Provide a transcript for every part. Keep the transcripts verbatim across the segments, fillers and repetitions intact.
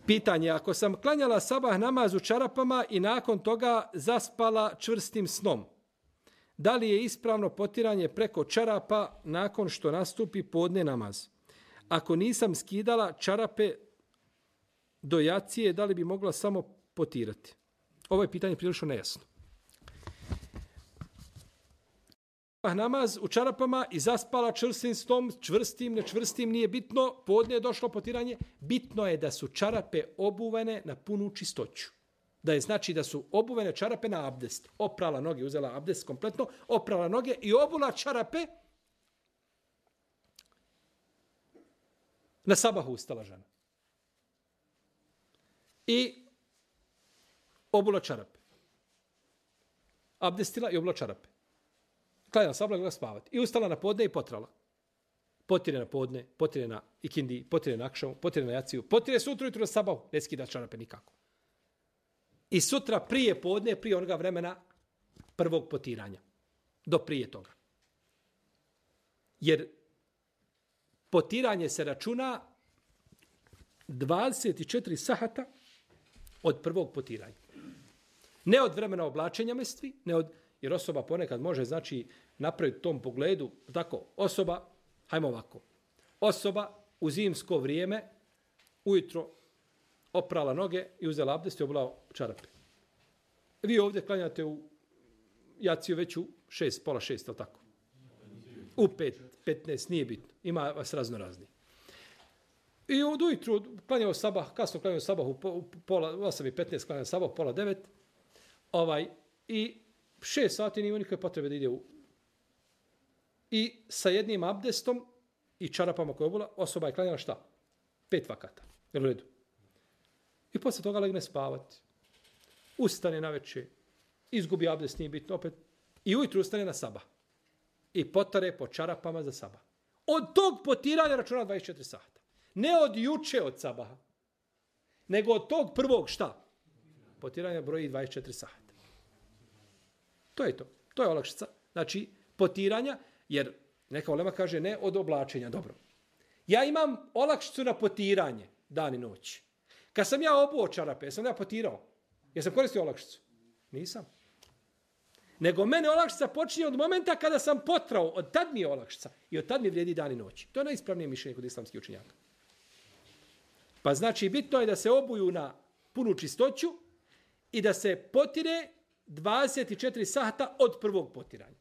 Pitanje, ako sam klanjala sabah namaz u čarapama i nakon toga zaspala čvrstim snom, da li je ispravno potiranje preko čarapa nakon što nastupi podne namaz? Ako nisam skidala čarape do jacije, da li bi mogla samo potirati? Ovo je pitanje prilično nejasno. Namaz u čarapama i zaspala čvrstim snom, čvrstim, nečvrstim, nije bitno, podne je došlo potiranje, bitno je da su čarape obuvene na punu čistoću. Da je znači da su obuvene čarape na abdest. Oprala noge, uzela abdest kompletno, oprala noge i obula čarape. Na sabahu ustala žena. I obula čarape. Abdestila i obula čarape. Klanjala sabah, gleda spavati. I ustala na podne i potrala. Potire na podne, potire na ikindi, potire na akšavu, potire na jaciju, potire sutra jutro na sabahu. Ne skida čarape nikako. I sutra prije podne, prije onoga vremena prvog potiranja. Do prije toga. Jer potiranje se računa dvadeset četiri sahata od prvog potiranja. Ne od vremena oblačenja mestvi, ne od, jer osoba ponekad može znači napraviti u tom pogledu, tako, osoba, hajmo ovako, osoba u zimsko vrijeme ujutro oprala noge i uzela abdest i obula čarape. Vi ovdje klanjate u jaciju već u šest, pola šest, ali tako? U pet, petnaest, nije bitno. Ima vas razno razni. I od ujutru klanjao sabah, kasno klanjao sabah u pola, osam i petnaest klanjao sabah, pola devet, ovaj, i šest sati nije nikakve potrebe da ide u... I sa jednim abdestom i čarapama koje obula, osoba je klanjala šta? Pet vakata. Jel u redu? I posle toga legne spavati. Ustane na večer. Izgubi abdest, nije bitno opet. I ujutru ustane na sabah. I potare po čarapama za sabah. Od tog potiranja računa dvadeset četiri sata. Ne od juče od sabaha. Nego od tog prvog šta? Potiranja broji dvadeset četiri sata. To je to. To je olakšica. Znači, potiranja, jer neka ulema kaže ne od oblačenja. Dobro. Ja imam olakšicu na potiranje dan i noć. Kad sam ja obuo čarape, jesam ja potirao? Jesam koristio olakšicu? Nisam. Nego mene olakšica počinje od momenta kada sam potrao. Od tad mi je olakšica. I od tad mi vrijedi dan i noć. To je najispravnije mišljenje kod islamskih učenjaka. Pa znači, bitno je da se obuju na punu čistoću i da se potire dvadeset četiri sata od prvog potiranja.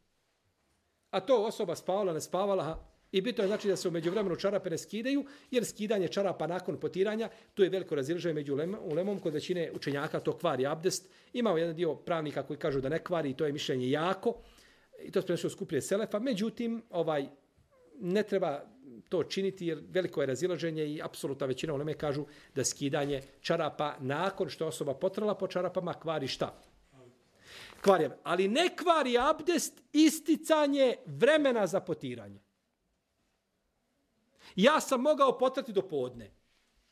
A to osoba spavala, ne spavala, i bitno je znači da se u međuvremenu čarape ne skidaju, jer skidanje čarapa nakon potiranja, tu je veliko razilaženje među ulemom, kod većine učenjaka to kvari abdest. Imamo jedan dio pravnika koji kažu da ne kvari, i to je mišljenje jako, i to se prenosi skuplje selefa, međutim, ovaj, ne treba to činiti, jer veliko je razilaženje i apsolutna većina uleme kažu da skidanje čarapa nakon što osoba potrala po čarapama kvari šta? Kvari, ali ne kvari abdest isticanje vremena za potiranje. Ja sam mogao potrati do podne.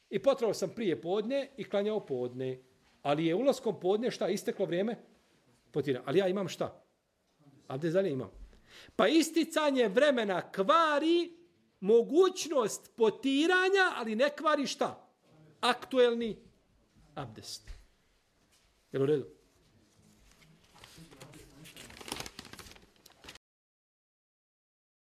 I potrao sam prije podne i klanjao podne. Ali je ulaskom podne šta? Isteklo vrijeme? Potiranja. Ali ja imam šta? Abdest dalje imam. Pa isticanje vremena kvari mogućnost potiranja, ali ne kvari šta? Aktuelni abdest. Jel u redu?